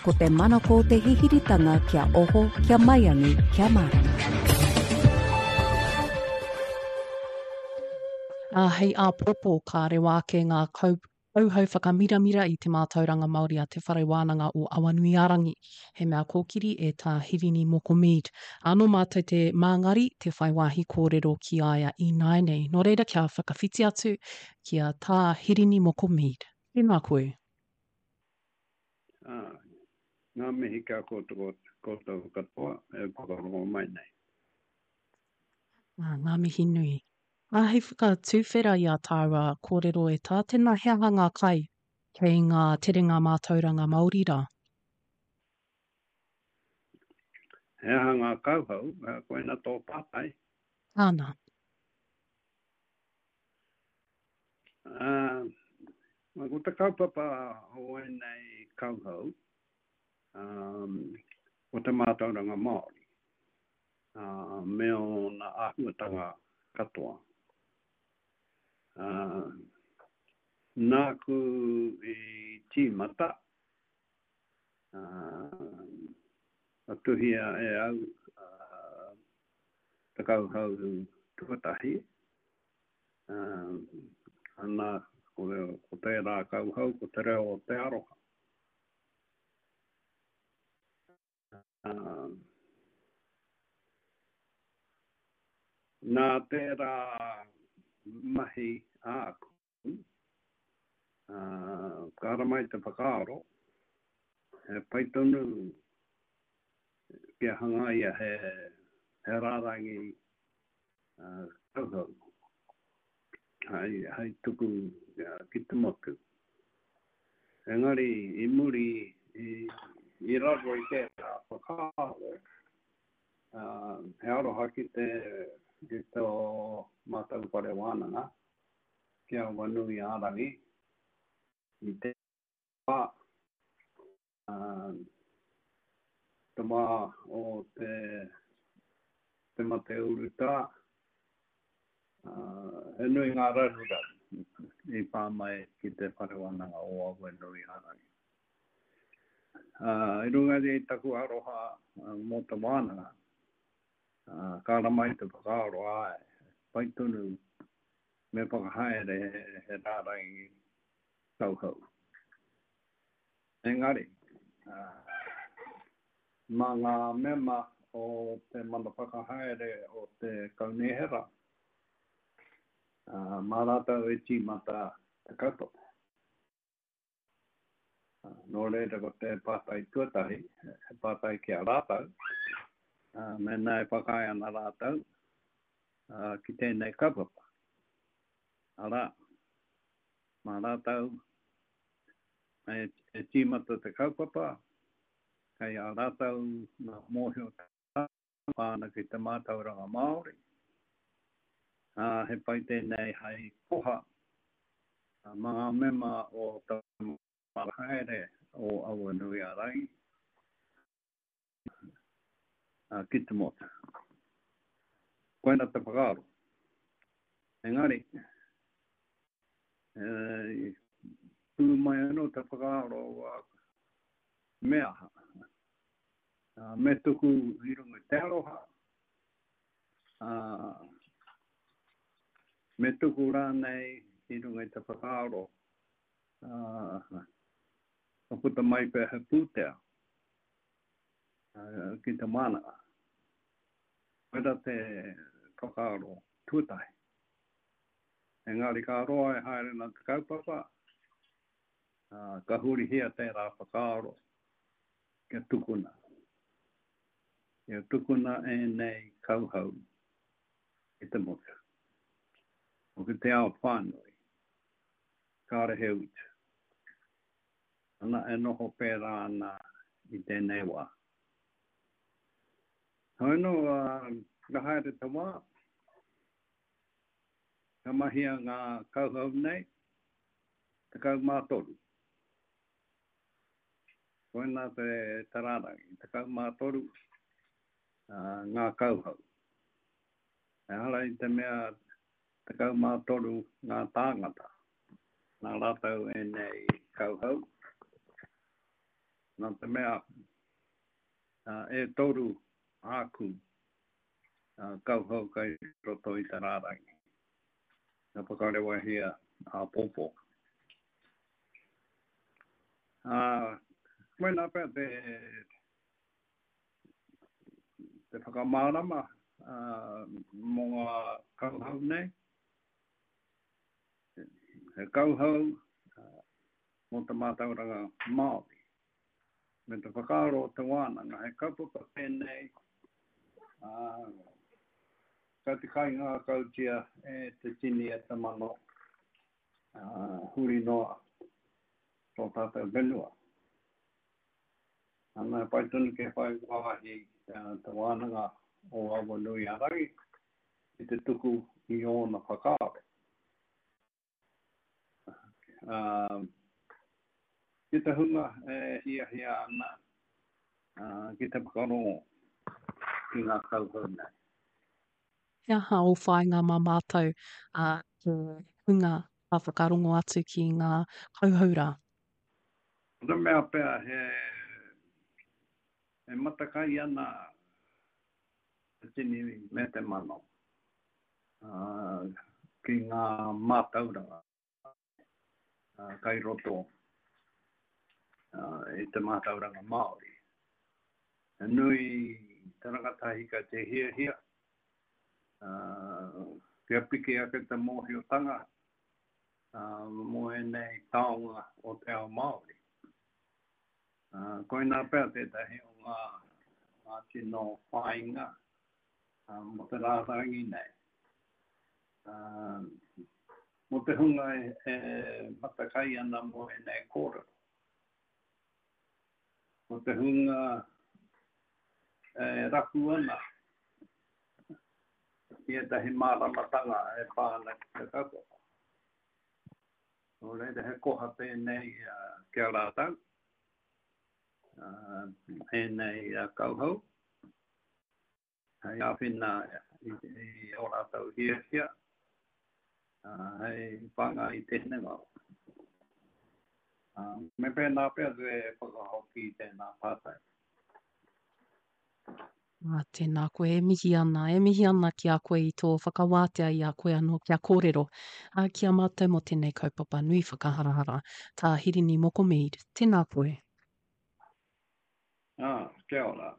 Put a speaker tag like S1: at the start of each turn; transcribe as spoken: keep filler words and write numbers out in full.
S1: Ko te manako o te hihiritanga kia oho, kia maiangi, kia mārama.
S2: Ā, hei āpōpō ka rewa ake ngā kau, kauhau whakamiramira i te mātauranga Māori a Te Whare Wānanga o Awanuiārangi, he mea kōkiri e Tā Hirini Moko Mead. Ā, nō mātou te māngari, te whai wāhi kōrero ki a ia ināianei. Nō reira kia whakawhiti atu ki a Tā Hirini Moko Mead. Tēnā koe.
S3: Ā, ngā mihi ki a koutou, koutou katoa e whakarongo mai nei.
S2: Ā, ngā mihi nui. Ā, hei whakatuwhera i ā tāua kōrero e tā, tēnā he aha ngā kai kei ngā terenga mātauranga Māori rā?
S3: He aha ngā kauhau, koina tō pātai?
S2: Āna.
S3: Ā, ko te kaupapa o ēnei kauhau, um, ko te mātauranga Māori, ā, me ōna āhuatanga katoa. Ā, nāku i tīmata, ā, ka tuhia e au ā, te kauhau tuatahi, ā, ana, ko, ko tērā kauhau, ko te reo o te aroha. Ā, nā tērā mahi āku, ā, ka ara mai te whakaaro, he pai tonu kia hangaia he, he rārangi uh, kauhau hei, hei tuku uh, ki te motu. Engari, i muri, i, i raro i tērā whakaaro, uh, he aroha ki te, ki tō mātou whare wānanga, ki a Awanuiārangi, i te wā, uh, te wā o te, te mate urutā, uh, he nui ngā raruraru i pā mai ki te whare wānanga o Awanuiārangi. Uh, i runga i taku aroha uh, mō te wānanga, uh, ka ara mai te whakaaro, āe, pai tonu me whakahaere he, he rārangi kauhau. Engari, uh, mā ngā mema o te mana whakahaere o te kaunihera, uh, mā rātou e tīmata te kaupapa. Uh, nō reira ko te pātai tuatahi, he pātai ki a rātou, uh, mēnā e whakaae ana rātou uh, ki tēnei kaupapa. Arā, mā rātou e, e tīmata te kaupapa, kei a rātou ngā mōhiotanga pā ana ki te mātauranga Māori. Uh, he pai tēnei hei koha uh, mā ngā mema o te whakahaere o Awanuiārangi uh, ki te motu. Koina te whakaaro. Engari, e, pū mai anō te whakaaro uh, me aha. Uh, me tuku i runga i te aroha, uh, me tuku rānei i runga i te whakaaro, uh, ka puta mai pea he pūtea uh, ki te wānanga. Koira te whakaaro tuatahi. Engari ka roa e haere ana te kaupapa, uh, ka hurihia tērā whakaaro kia tukuna. Kia tukuna ēnei kauhau ki te motu. O ki te ao whānui, kāre he utu. Ana e noho pērā ana i tēnei wā. Hoi anō, uh, ka haere te wā, ka mahia ngā kauhau nei, tekau mā toru. Koina te, te rārangi, tekau mā toru uh, ngā kauhau. Ehara i te mea tekau mā toru ngā tāngata, nā rātou ēnei kauhau. Nā te mea, uh, e toru āku uh, kauhau kai roto i te rārangi. Ka whakarewahia āpōpō. Uh, koinā pea te, te whakamārama uh, mō ngā kauhau nei. He kauhau uh, mō te mātauranga Māori. Me te whakaaro o te wānanga, he kaupapa tēnei, uh, ka te kaingākautia e te tini e te mano, uh, huri noa tō tātou whenua. Ana, pai tonu ke whai wāhi uh, te wānanga o Awanuiārangi i te tuku i ōna whakaaro. Uh, ki te hunga e hiahia ana uh, ki te whakarongo ki ngā kauhau nei.
S2: He aha ō whāinga mā mātou uh, te hunga ka whakarongo atu ki ngā kauhau rā?
S3: Ko te mea pea he, he matakai ana te tini me te mano uh, ki ngā mātauranga uh, kai roto uh, i te mātauranga Māori. He nui te rangatahi ka te hiahia, uh, kia piki ake te mōhiotanga uh, mō ēnei taonga o te ao Māori. Uh, koinā pea tētahi o ngā, ngā tino whāinga uh, mō te rārangi nei. Uh, mō te hunga e, e matakai ana mō ēnei kōrero. Mō te hunga e rapu ana i ētahi māramatanga e pā ana ki te kaupapa. Nō reira he koha tēnei uh, ki a rātou, uh, ēnei uh, kauhau, hei āwhina i, i ō rātou hiahia, uh, hei whāngai i te hinengaro. Uh, me pēnā pea te whakahoki i tēnā pātai.
S2: Ah, tēnā koe, e mihi ana, e mihi ana ki a koe i tō whakawātea i a koe anō kia kōrero uh, ki a mātou mō tēnei kaupapa nui whakaharahara. Tā Hirini Moko Mead, tēnā koe.
S3: Ah, kia ora.